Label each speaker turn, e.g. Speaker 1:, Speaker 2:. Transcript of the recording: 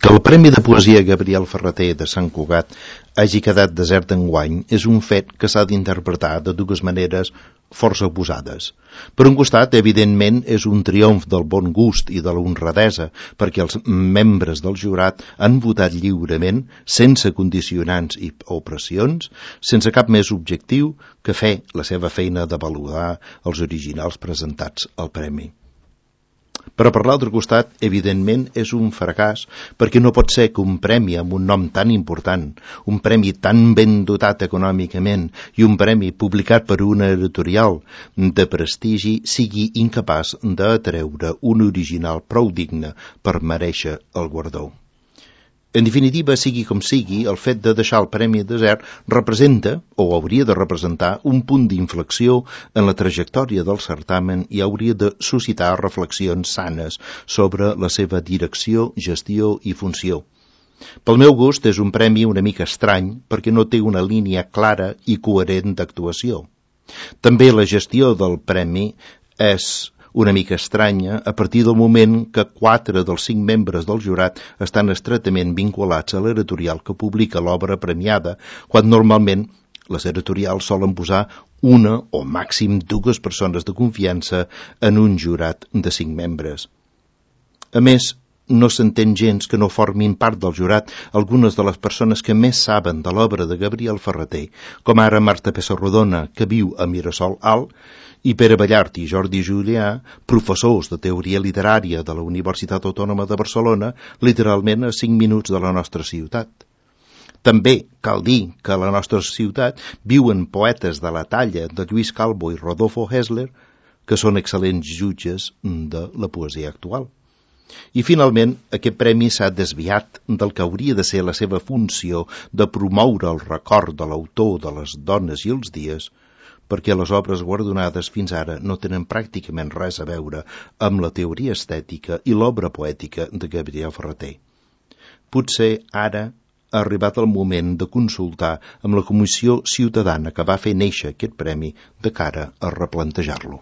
Speaker 1: Que el Premi de Poesia Gabriel Ferrater de Sant Cugat hagi quedat desert enguany és un fet que s'ha d'interpretar de dues maneres força oposades. Per un costat, evidentment, és un triomf del bon gust i de l'honradesa, perquè els membres del jurat han votat lliurement, sense condicionants o pressions, sense cap més objectiu que fer la seva feina de valorar els originals presentats al premi. Però per l'altre costat, evidentment, és un fracàs perquè no pot ser que un premi amb un nom tan important, un premi tan ben dotat econòmicament i un premi publicat per una editorial de prestigi sigui incapaç d'atreure un original prou digne per merèixer el guardó. En definitiva, sigui com sigui, el fet de deixar el premi desert representa, o hauria de representar, un punt d'inflexió en la trajectòria del certamen i hauria de suscitar reflexions sanes sobre la seva direcció, gestió i funció. Pel meu gust, és un premi una mica estrany perquè no té una línia clara i coherent d'actuació. També la gestió del premi és una mica estranya a partir del moment que 4 dels 5 membres del jurat estan estretament vinculats a l'editorial que publica l'obra premiada, quan normalment les editorials solen posar una o màxim 2 persones de confiança en un jurat de 5 membres. A més, no s'entén gens que no formin part del jurat algunes de les persones que més saben de l'obra de Gabriel Ferrater, com ara Marta Pessarrodona, que viu a Mirasol Alt, i Pere Ballart i Jordi Julià, professors de teoria literària de la Universitat Autònoma de Barcelona, literalment a 5 minuts de la nostra ciutat. També cal dir que a la nostra ciutat viuen poetes de la talla de Lluís Calvo i Rodolfo Hessler, que són excel·lents jutges de la poesia actual. I finalment, aquest premi s'ha desviat del que hauria de ser la seva funció de promoure el record de l'autor de les dones i els dies, perquè les obres guardonades fins ara no tenen pràcticament res a veure amb la teoria estètica i l'obra poètica de Gabriel Ferrater. Potser ara ha arribat el moment de consultar amb la Comissió Ciutadana que va fer néixer aquest premi de cara a replantejar-lo.